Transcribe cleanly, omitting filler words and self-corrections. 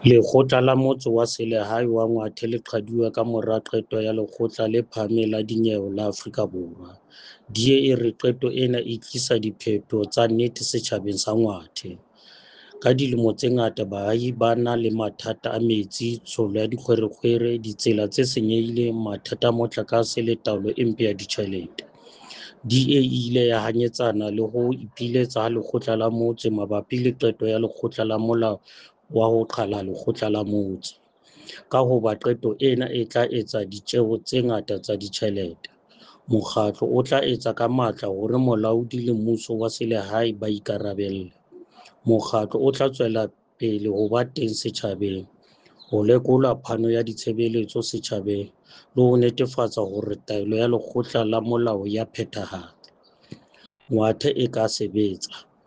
Lekgotla la Motse wa Selehae wa Ngwathe le qhaduwe ka mora qeto ya Lekgotla le Phahameng la Dinyewe la Afrika Borwa. DA e re qeto ena e tlisa diphetoho tsa nnete setjhabeng sa Ngwathe. Ka dilemo tse ngata baahi ba na le mathata a metsi, tshollo ya dikgwerekgwere, ditsela tse senyehileng, mathata a motlakase le taolo e mpe ya ditjhelete. DA e ile ya hanyetsana le ho ipiletsa ha lekgotla la motse mabapi le qeto ya lekgotla la molao wa ho qhala lekgotla la motse, ka hoba qeto ena e tla etsa ditjeo tse ngata tsa ditjhelete. Mokgatlo o tla etsa ka matla hore molaodi le mmuso wa selehae ba ikarabelle. Mokgatlo o tla tswela pele ho ba teng setjhabeng, ho lekola phano ya ditshebeletso setjhabeng le ho netefatsa hore taelo ya lekgotla la molao ya phethahatswa. Ngwathe e ka sebetsa.